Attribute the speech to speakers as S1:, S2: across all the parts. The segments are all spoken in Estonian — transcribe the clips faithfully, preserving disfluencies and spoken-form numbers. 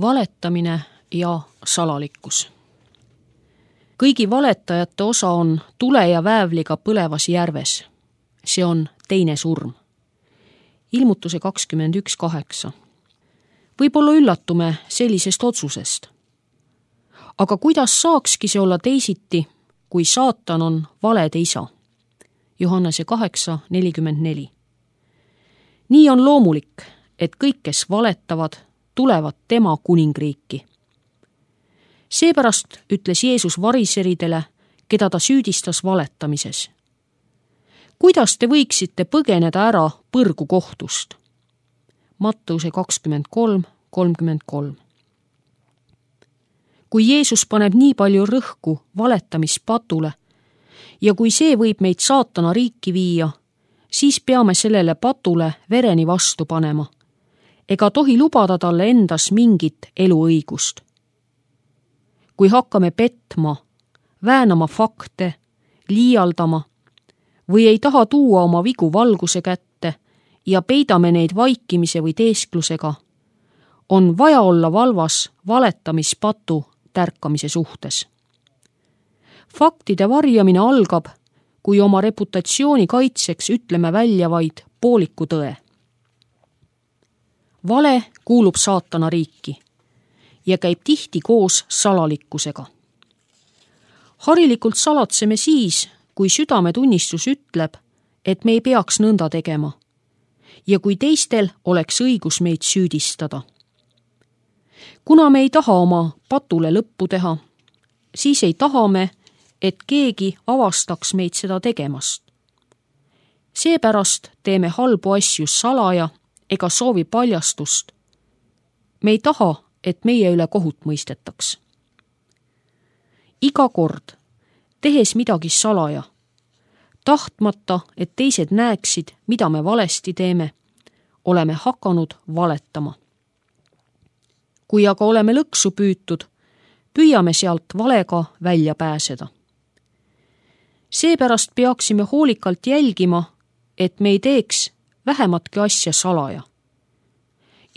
S1: Valetamine ja salalikkus. Kõigi valetajate osa on tule ja väävliga põlevas järves. See on teine surm. Ilmutuse kakskümmend üks kaheksa. Võib-olla üllatume sellisest otsusest. Aga kuidas saakski see olla teisiti, kui saatan on valede isa? Johannese kaheksa nelikümmend neli. Nii on loomulik, et kõik, kes valetavad, tulevad tema kuningriiki. Seepärast ütles Jeesus variseridele, keda ta süüdistas valetamises. Kuidas te võiksite põgeneda ära põrgu kohtust? Matteuse kakskümmend kolm kolmkümmend kolm. Kui Jeesus paneb nii palju rõhku valetamispatule ja kui see võib meid saatana riiki viia, siis peame sellele patule vereni vastu panema ega tohi lubada talle endas mingit eluõigust. Kui hakkame petma, väänama fakte, liialdama või ei taha tuua oma vigu valguse kätte ja peidame neid vaikimise või teesklusega, on vaja olla valvas valetamispatu tärkamise suhtes. Faktide varjamine algab, kui oma reputatsiooni kaitseks ütleme välja vaid pooliku tõe. Vale kuulub saatana riiki ja käib tihti koos salalikkusega. Harilikult salatseme siis, kui südametunnistus ütleb, et me ei peaks nõnda tegema ja kui teistel oleks õigus meid süüdistada. Kuna me ei taha oma patule lõppu teha, siis ei taha me, et keegi avastaks meid seda tegemast. Seepärast teeme halbu asju salaja ega soovi paljastust. Me ei taha, et meie üle kohut mõistetaks. Iga kord, tehes midagi salaja, tahtmata, et teised näeksid, mida me valesti teeme, oleme hakanud valetama. Kui aga oleme lõksu püütud, püüame sealt valega välja pääseda. Seepärast peaksime hoolikalt jälgima, et me ei teeks vähematki asja salaja.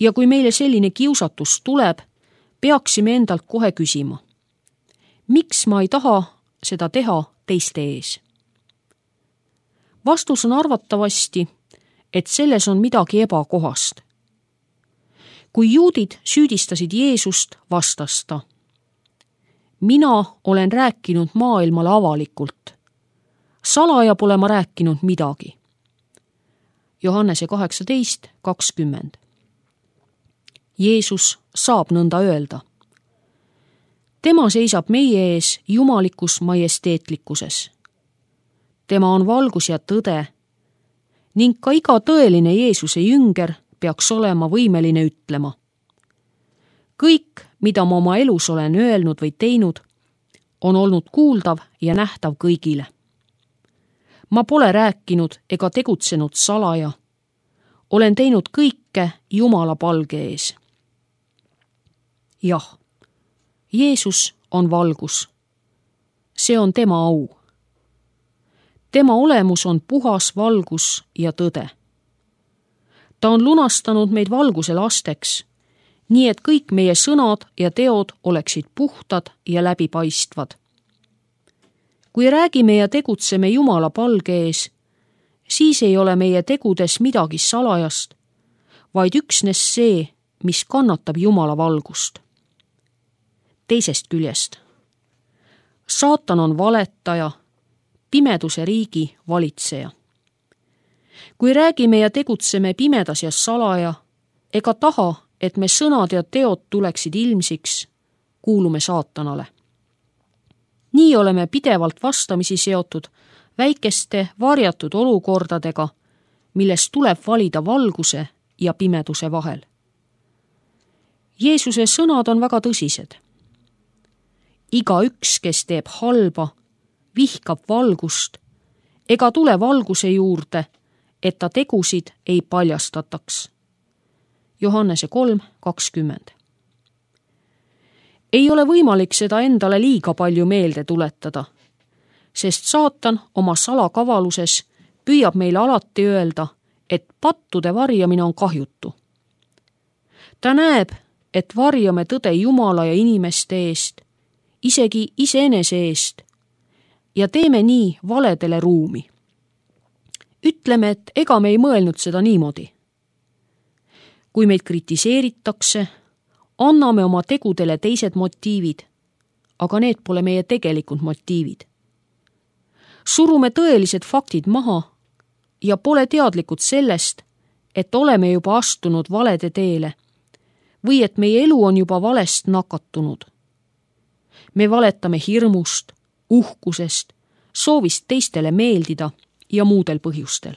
S1: Ja kui meile selline kiusatus tuleb, peaksime endalt kohe küsima, miks ma ei taha seda teha teiste ees? Vastus on arvatavasti, et selles on midagi ebakohast. Kui juudid süüdistasid Jeesust, vastas ta: mina olen rääkinud maailmale avalikult. Salaja pole ma rääkinud midagi. Johannese kaheksateist kakskümmend. Jeesus saab nõnda öelda. Tema seisab meie ees jumalikus majesteetlikkuses. Tema on valgus ja tõde ning ka iga tõeline Jeesuse jünger peaks olema võimeline ütlema: kõik, mida ma oma elus olen öelnud või teinud, on olnud kuuldav ja nähtav kõigile. Ma pole rääkinud ega tegutsenud salaja. Olen teinud kõike Jumala palge ees. Jah, Jeesus on valgus. See on tema au. Tema olemus on puhas valgus ja tõde. Ta on lunastanud meid valguse lasteks, nii et kõik meie sõnad ja teod oleksid puhtad ja läbipaistvad. Kui räägime ja tegutseme Jumala palge ees, siis ei ole meie tegudes midagi salajast, vaid üksnes see, mis kannatab Jumala valgust. Teisest küljest, saatan on valetaja, pimeduse riigi valitseja. Kui räägime ja tegutseme pimedas ja salaja, ega taha, et me sõnad ja teod tuleksid ilmsiks, kuulume saatanale. Nii oleme pidevalt vastamisi seotud väikeste varjatud olukordadega, millest tuleb valida valguse ja pimeduse vahel. Jeesuse sõnad on väga tõsised. Iga üks, kes teeb halba, vihkab valgust ega tule valguse juurde, et ta tegusid ei paljastataks. Johannese kolm kakskümmend. Ei ole võimalik seda endale liiga palju meelde tuletada, sest saatan oma salakavaluses püüab meile alati öelda, et pattude varjamine on kahjutu. Ta näeb, et varjame tõde Jumala ja inimeste eest, isegi iseenese eest, ja teeme nii valedele ruumi. Ütleme, et ega me ei mõelnud seda niimoodi. Kui meid kritiseeritakse, anname oma tegudele teised motiivid, aga need pole meie tegelikud motiivid. Surume tõelised faktid maha ja pole teadlikud sellest, et oleme juba astunud valede teele või et meie elu on juba valest nakatunud. Me valetame hirmust, uhkusest, soovist teistele meeldida ja muudel põhjustel.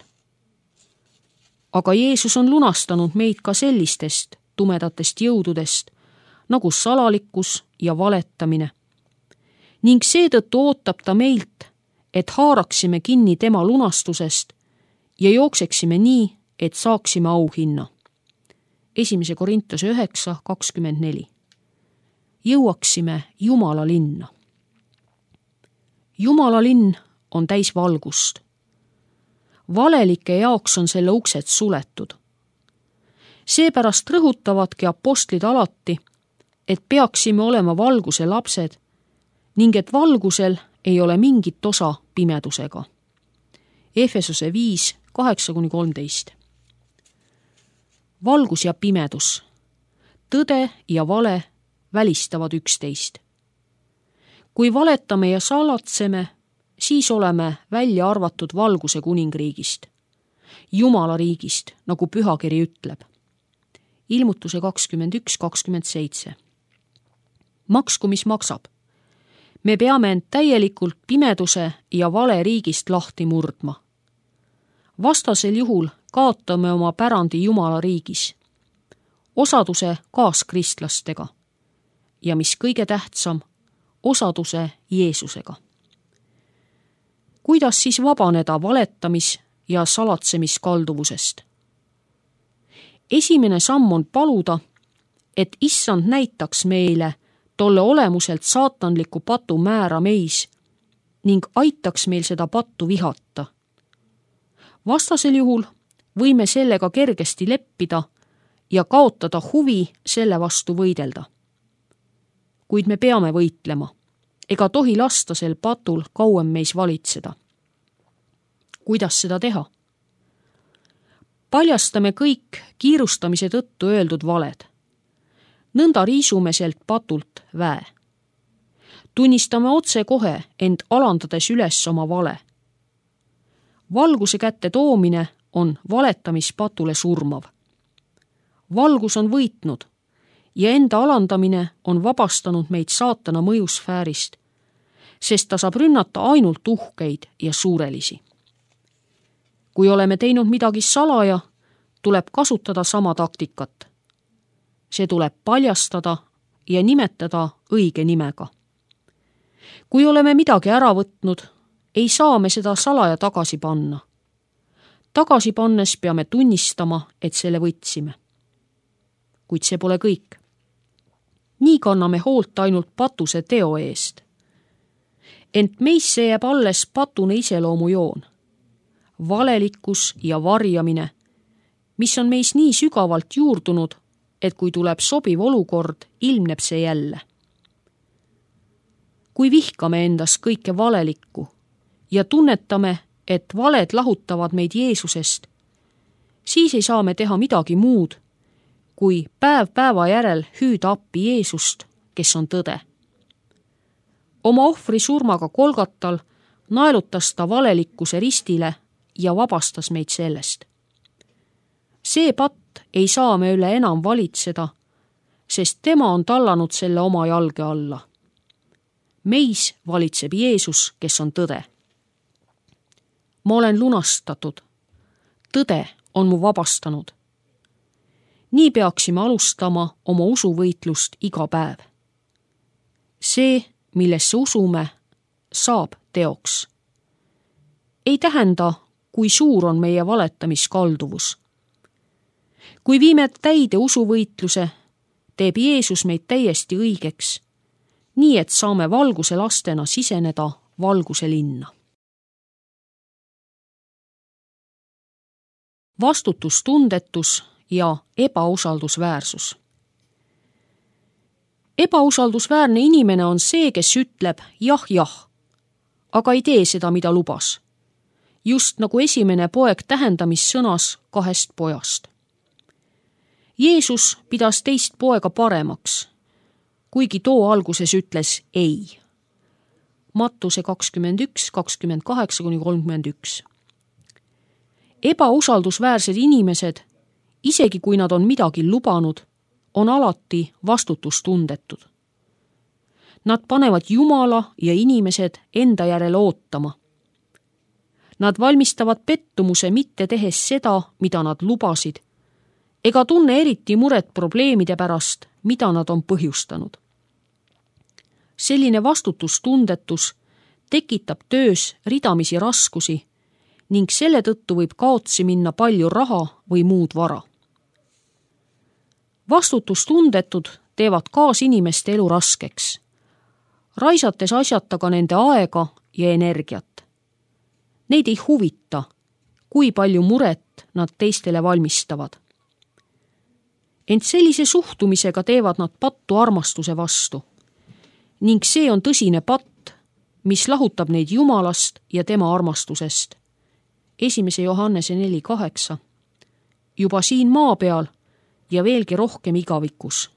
S1: Aga Jeesus on lunastanud meid ka sellistest tumedatest jõududest, nagu salalikkus ja valetamine. Ning seetõttu ootab ta meilt, et haaraksime kinni tema lunastusest ja jookseksime nii, et saaksime auhinna. Esimese Korintuse üheksa kakskümmend neli. Jõuaksime Jumala linna. Jumala linn on täis valgust. Valelike jaoks on selle uksed suletud. Seepärast rõhutavadki apostlid alati, et peaksime olema valguse lapsed ning et valgusel ei ole mingit osa pimedusega. Efesose viis kaheksa kuni kolmteist. Valgus ja pimedus, tõde ja vale välistavad üksteist. Kui valetame ja salatseme, siis oleme välja arvatud valguse kuningriigist, Jumala riigist, nagu pühakiri ütleb. Ilmutuse kakskümmend üks kakskümmend seitse. Maksku, mis maksab. Me peame end täielikult pimeduse ja vale riigist lahti murdma. Vastasel juhul kaotame oma pärandi Jumala riigis, osaduse kaaskristlastega ja mis kõige tähtsam, osaduse Jeesusega. Kuidas siis vabaneda valetamis- ja salatsemiskalduvusest? Esimene samm on paluda, et Issand näitaks meile tolle olemuselt saatanliku patu määra meis ning aitaks meil seda pattu vihata. Vastasel juhul võime sellega kergesti leppida ja kaotada huvi selle vastu võidelda. Kuid me peame võitlema, ega tohi lasta sel patul kauem meis valitseda. Kuidas seda teha? Paljastame kõik kiirustamise tõttu öeldud valed. Nõnda riisume selt patult väe. Tunnistame otse kohe, ent alandades üles oma vale. Valguse kätte toomine on valetamispatule surmav. Valgus on võitnud ja enda alandamine on vabastanud meid saatana mõjusfäärist, sest ta saab rünnata ainult uhkeid ja suurelisi. Kui oleme teinud midagi salaja, tuleb kasutada sama taktikat. See tuleb paljastada ja nimetada õige nimega. Kui oleme midagi ära võtnud, ei saa me seda salaja tagasi panna. Tagasi pannes peame tunnistama, et selle võtsime. Kuid see pole kõik. Nii kanname hoolt ainult patuse teo eest. Ent meisse jääb alles patune iseloomujoon. Valelikkus ja varjamine, mis on meis nii sügavalt juurdunud, et kui tuleb sobiv olukord, ilmneb see jälle. Kui vihkame endas kõike valelikku ja tunnetame, et valed lahutavad meid Jeesusest, siis ei saa me teha midagi muud, kui päev päeva järel hüüda appi Jeesust, kes on tõde. Oma ohvri surmaga Kolgatal naelutas ta valelikkuse ristile ja vabastas meid sellest. See patt ei saa me üle enam valitseda, sest tema on tallanud selle oma jalge alla. Meis valitseb Jeesus, kes on tõde. Ma olen lunastatud. Tõde on mu vabastanud. Nii peaksime alustama oma usuvõitlust iga päev. See, millesse usume, saab teoks. Ei tähenda, kui suur on meie valetamiskalduvus. Kui viime täide usuvõitluse, teeb Jeesus meid täiesti õigeks, nii et saame valguse lastena siseneda valguse linna. Vastutustundetus ja ebausaldusväärsus. Ebausaldusväärne inimene on see, kes ütleb jah, jah, aga ei tee seda, mida lubas. Just nagu esimene poeg tähendamissõnas kahest pojast. Jeesus pidas teist poega paremaks, kuigi too alguses ütles ei. Mattuse kakskümmend üks, kakskümmend kaheksa kuni kolmkümmend üks. Ebausaldusväärsed inimesed, isegi kui nad on midagi lubanud, on alati vastutustundetud. Nad panevad Jumala ja inimesed enda järele ootama. Nad valmistavad pettumuse mitte tehes seda, mida nad lubasid, ega tunne eriti muret probleemide pärast, mida nad on põhjustanud. Selline vastutustundetus tekitab töös ridamisi raskusi ning selle tõttu võib kaotsi minna palju raha või muud vara. Vastutustundetud teevad kaasinimeste elu raskeks, raisates asjata ka nende aega ja energiat. Neid ei huvita, kui palju muret nad teistele valmistavad. Ent sellise suhtumisega teevad nad pattu armastuse vastu ning see on tõsine patt, mis lahutab neid Jumalast ja tema armastusest. Esimese Johannese neli kaheksa. Juba siin maa peal ja veelgi rohkem igavikus.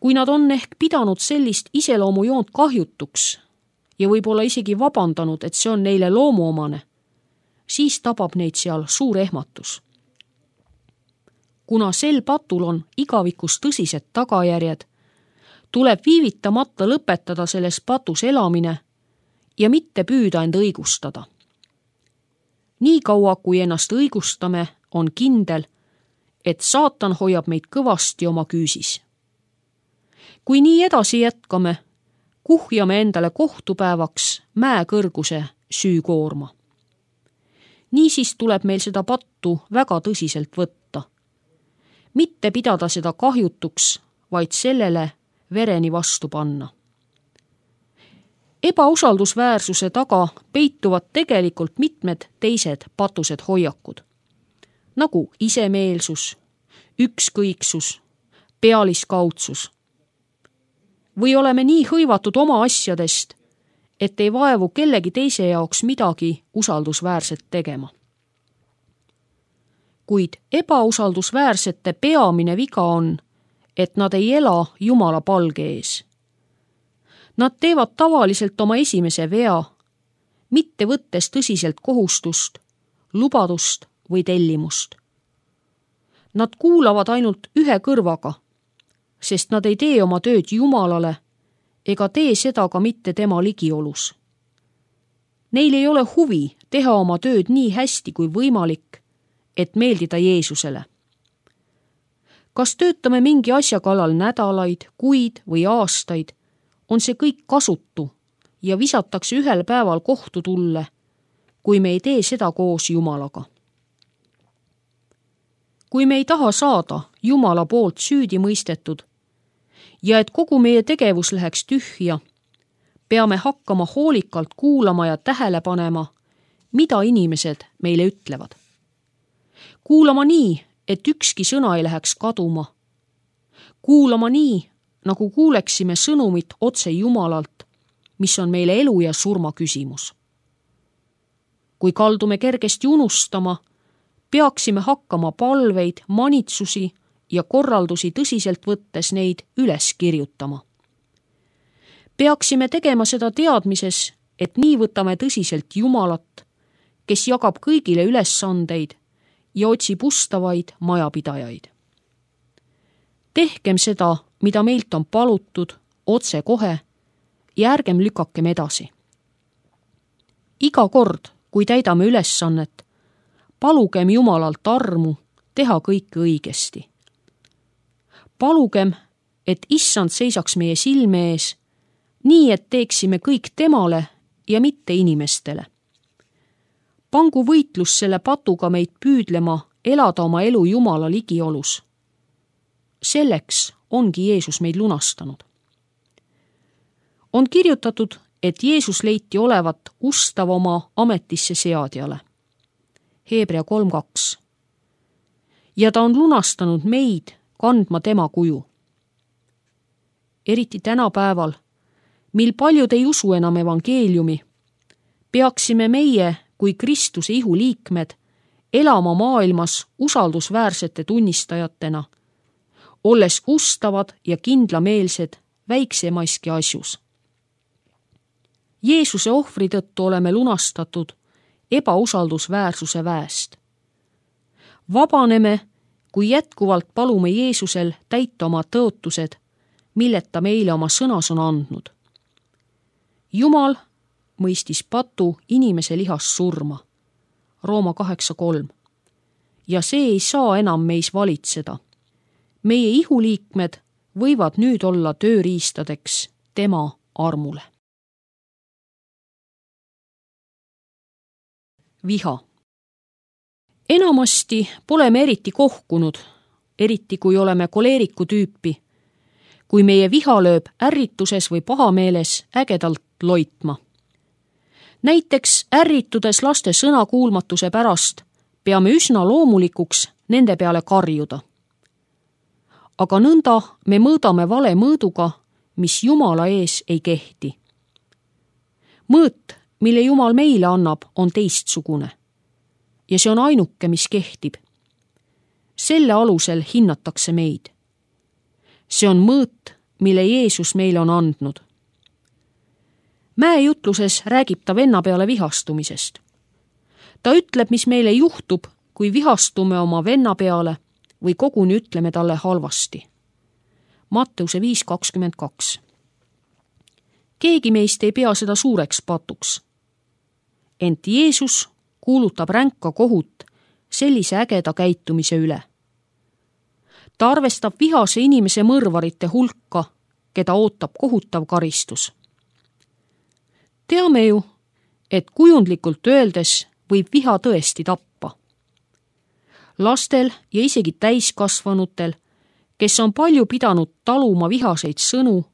S1: Kui nad on ehk pidanud sellist iseloomujoont kahjutuks ja võib-olla isegi vabandanud, et see on neile loomuomane, siis tabab neid seal suur ehmatus. Kuna sel patul on igavikus tõsised tagajärjed, tuleb viivitamata lõpetada selles patus elamine ja mitte püüda end õigustada. Nii kaua, kui ennast õigustame, on kindel, et saatan hoiab meid kõvasti oma küüsis. Kui nii edasi jätkame, kuhjame endale kohtupäevaks mäekõrguse süükoorma. Niisiis tuleb meil seda pattu väga tõsiselt võtta. Mitte pidada seda kahjutuks, vaid sellele vereni vastu panna. Ebausaldusväärsuse taga peituvad tegelikult mitmed teised patused hoiakud, nagu isemeelsus, ükskõiksus, pealiskaudsus. Või oleme nii hõivatud oma asjadest, et ei vaevu kellegi teise jaoks midagi usaldusväärset tegema. Kuid ebausaldusväärsete peamine viga on, et nad ei ela Jumala palge ees. Nad teevad tavaliselt oma esimese vea, mitte võttes tõsiselt kohustust, lubadust või tellimust. Nad kuulavad ainult ühe kõrvaga, sest nad ei tee oma tööd Jumalale ega tee seda ka mitte tema ligiolus. Neil ei ole huvi teha oma tööd nii hästi kui võimalik, et meeldida Jeesusele. Kas töötame mingi asja kallal nädalaid, kuid või aastaid, on see kõik kasutu ja visatakse ühel päeval kohtu tulle, kui me ei tee seda koos Jumalaga. Kui me ei taha saada Jumala poolt süüdi mõistetud ja et kogu meie tegevus läheks tühja, peame hakkama hoolikalt kuulama ja tähele panema, mida inimesed meile ütlevad. Kuulama nii, et ükski sõna ei läheks kaduma. Kuulama nii, nagu kuuleksime sõnumit otse Jumalalt, mis on meile elu ja surma küsimus. Kui kaldume kergesti unustama, peaksime hakkama palveid, manitsusi ja korraldusi tõsiselt võttes neid üles kirjutama. Peaksime tegema seda teadmises, et nii võtame tõsiselt Jumalat, kes jagab kõigile ülesandeid ja otsib ustavaid majapidajaid. Tehkem seda, mida meilt on palutud, otse kohe ja ärgem lükakem edasi. Iga kord, kui täidame ülesannet, palugem Jumalalt armu teha kõike õigesti. Palugem, et Issand seisaks meie silme ees, nii et teeksime kõik temale ja mitte inimestele. Pangu võitlus selle patuga meid püüdlema elada oma elu Jumala ligiolus. Selleks ongi Jeesus meid lunastanud. On kirjutatud, et Jeesus leiti olevat ustav oma ametisse seadjale. Heebrea kolm kaks. Ja ta on lunastanud meid kandma tema kuju. eriti tänapäeval, mil paljud ei usu enam evangeeliumi, peaksime meie kui Kristuse ihu liikmed elama maailmas usaldusväärsete tunnistajatena, olles ustavad ja kindlameelsed väiksemaiski asjus. Jeesuse ohvri tõttu oleme lunastatud ebausaldusväärsuse väest. Vabaneme, kui jätkuvalt palume Jeesusel täita oma tõotused, milleta meile oma sõnas on andnud. Jumal mõistis patu inimese lihas surma, Rooma kaheksa kolm, ja see ei saa enam meis valitseda. Meie ihuliikmed võivad nüüd olla tööriistadeks tema armule. Viha. Enamasti pole me eriti kohkunud, eriti kui oleme koleeriku tüüpi, kui meie viha lööb ärrituses või pahameeles ägedalt loitma. Näiteks ärritudes laste sõnakuulmatuse pärast peame üsna loomulikuks nende peale karjuda. Aga nõnda me mõõdame vale mõõduga, mis Jumala ees ei kehti. Mõõt, mille Jumal meile annab, on teistsugune. Ja see on ainuke, mis kehtib. Selle alusel hinnatakse meid. See on mõõt, mille Jeesus meile on andnud. Mäejutluses räägib ta venna peale vihastumisest. Ta ütleb, mis meile juhtub, kui vihastume oma venna peale või koguni ütleme talle halvasti. Matteuse viis kakskümmend kaks. Keegi meist ei pea seda suureks patuks. Ent Jeesus kuulutab ränka kohut sellise ägeda käitumise üle. Ta arvestab vihase inimese mõrvarite hulka, keda ootab kohutav karistus. Teame ju, et kujundlikult öeldes võib viha tõesti tappa. Lastel ja isegi täiskasvanutel, kes on palju pidanud taluma vihaseid sõnu,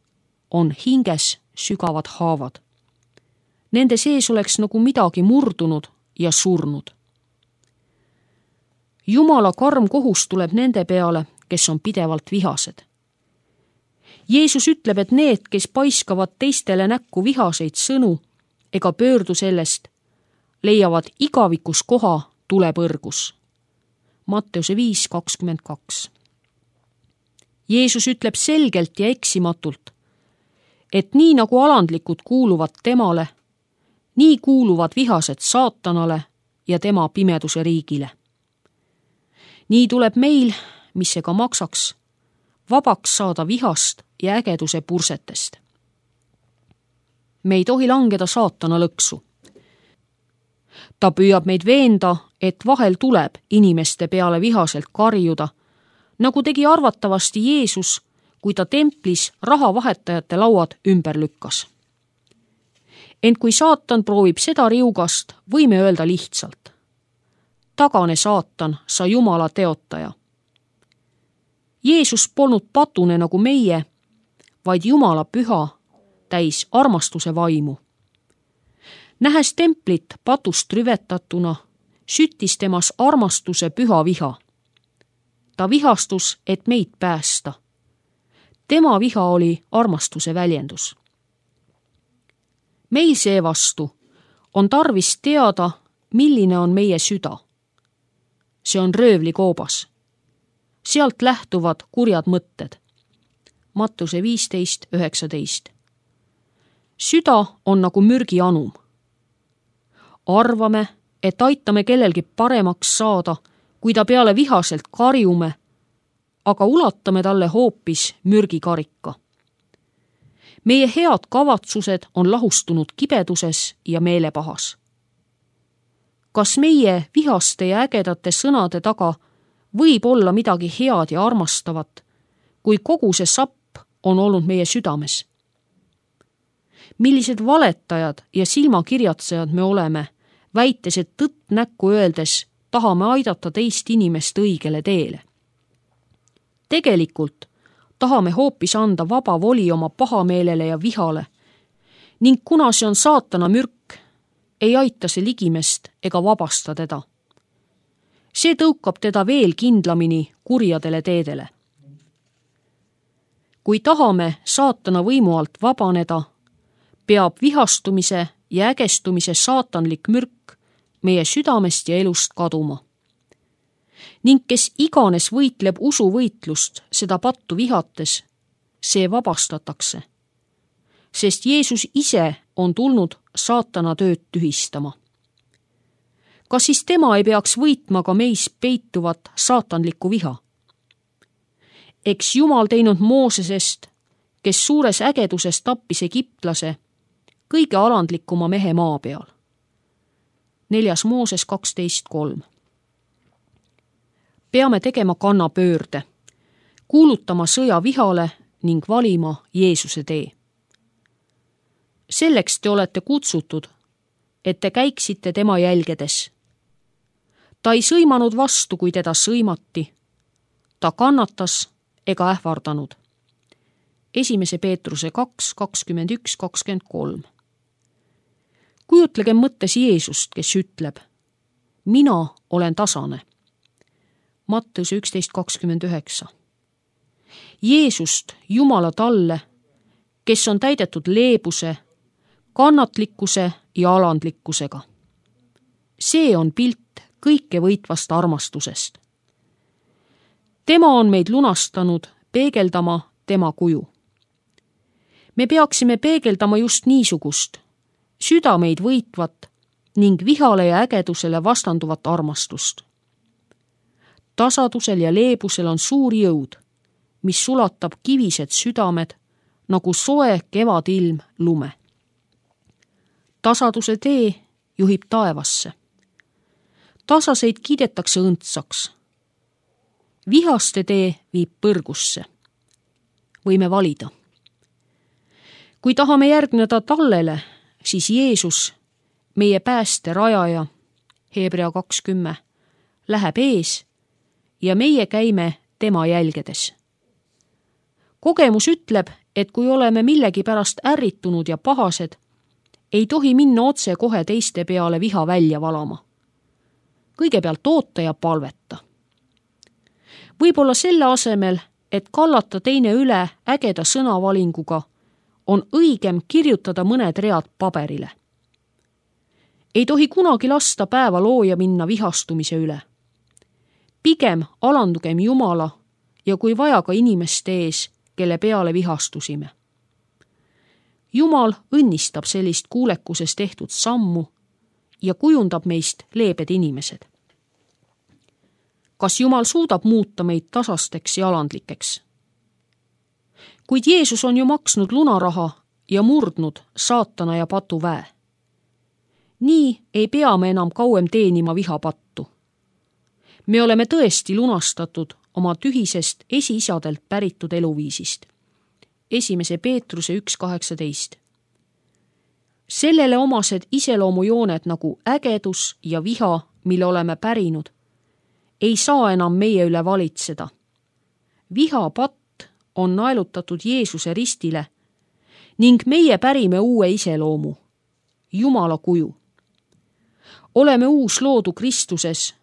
S1: on hinges sügavad haavad. Nende sees oleks nagu midagi murdunud ja surnud. Jumala karm kohus tuleb nende peale, kes on pidevalt vihased. Jeesus ütleb, et need, kes paiskavad teistele näkku vihaseid sõnu ega pöördu sellest, leiavad igavikus koha tulepõrgus. Matteuse viis kakskümmend kaks. Jeesus ütleb selgelt ja eksimatult, et nii nagu alandlikud kuuluvad temale, nii kuuluvad vihased saatanale ja tema pimeduse riigile. Nii tuleb meil, mis see ka maksaks, vabaks saada vihast ja ägeduse pursetest. Me ei tohi langeda saatana lõksu. Ta püüab meid veenda, et vahel tuleb inimeste peale vihaselt karjuda, nagu tegi arvatavasti Jeesus, kui ta templis rahavahetajate lauad ümber lükkas. Ent kui saatan proovib seda riugast, võime öelda lihtsalt: tagane saatan, sa Jumala teotaja. Jeesus polnud patune nagu meie, vaid Jumala püha, täis armastuse vaimu. Nähes templit patust rüvetatuna, süttis temas armastuse püha viha. Ta vihastus, et meid päästa. Tema viha oli armastuse väljendus. Meil seevastu on tarvis teada, milline on meie süda. See on röövlikoobas. Sealt lähtuvad kurjad mõtted. Mattuse viisteist üheksateist. Süda on nagu mürgianum. Arvame, et aitame kellelgi paremaks saada, kui ta peale vihaselt karjume, aga ulatame talle hoopis mürgikarika. Meie head kavatsused on lahustunud kibeduses ja meelepahas. Kas meie vihaste ja ägedate sõnade taga võib olla midagi head ja armastavat, kui kogu see sapp on olnud meie südames? Millised valetajad ja silmakirjatsejad me oleme, väites, et tõtt näkku öeldes tahame aidata teist inimest õigele teele. Tegelikult tahame hoopis anda vaba voli oma pahameelele ja vihale ning kuna see on saatana mürk, ei aita see ligimest ega vabasta teda. See tõukab teda veel kindlamini kurjadele teedele. kui tahame saatana võimu alt vabaneda, peab vihastumise ja ägestumise saatanlik mürk meie südamest ja elust kaduma. Ning kes iganes võitleb usuvõitlust seda pattu vihates, see vabastatakse, sest Jeesus ise on tulnud saatana tööd tühistama. Kas siis tema ei peaks võitma ka meis peituvat saatanlikku viha? Eks Jumal teinud Moosesest, kes suures ägeduses tappis egiptlase, kõige alandlikuma mehe maa peal. Neljas Mooses kaksteist kolm. Peame tegema kannapöörde, kuulutama sõja vihale ning valima Jeesuse tee. Selleks te olete kutsutud, et te käiksite tema jälgedes. Ta ei sõimanud vastu, kui teda sõimati. Ta kannatas ega ähvardanud. Esimese Peetruse kaks, kakskümmend üks, kakskümmend kolm. Kujutlegem mõttes Jeesust, kes ütleb, mina olen tasane. Matteuse üksteist kakskümmend üheksa. Jeesust, Jumala talle, kes on täidetud leebuse, kannatlikkuse ja alandlikkusega. See on pilt kõike võitvast armastusest. Tema on meid lunastanud peegeldama tema kuju. Me peaksime peegeldama just niisugust, südameid võitvat ning vihale ja ägedusele vastanduvat armastust. Tasadusel ja leebusel on suur jõud, mis sulatab kivised südamed nagu soe kevadilm lume. Tasaduse tee juhib taevasse. Tasaseid kiidetakse õndsaks. Vihaste tee viib põrgusse. Võime valida. Kui tahame järgneda tallele, siis Jeesus, meie pääste rajaja, Hebrea kakskümmend, läheb ees ja meie käime tema jälgedes. Kogemus ütleb, et kui oleme millegi pärast ärritunud ja pahased, ei tohi minna otse kohe teiste peale viha välja valama. Kõigepealt oota ja palveta. Võib-olla selle asemel, et kallata teine üle ägeda sõnavalinguga, on õigem kirjutada mõned read paberile. Ei tohi kunagi lasta päeva looja minna vihastumise üle. Pigem alandugem Jumala ja kui vaja ka inimeste ees, kelle peale vihastusime. Jumal õnnistab sellist kuulekuses tehtud sammu ja kujundab meist leebed inimesed. Kas Jumal suudab muuta meid tasasteks ja alandlikeks? Kuid Jeesus on ju maksnud lunaraha ja murdnud saatana ja patu väe. Nii ei pea me enam kauem teenima vihapattu. Me oleme tõesti lunastatud oma tühisest esiisadelt päritud eluviisist. Esimese Peetruse üks kaheksateist. Sellele omased iseloomujooned nagu ägedus ja viha, mille oleme pärinud, ei saa enam meie üle valitseda. Vihapatt on naelutatud Jeesuse ristile ning meie pärime uue iseloomu, Jumala kuju. Oleme uus loodu Kristuses,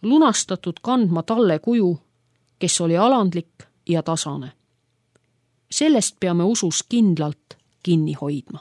S1: lunastatud kandma talle kuju, kes oli alandlik ja tasane. Sellest peame usus kindlalt kinni hoidma.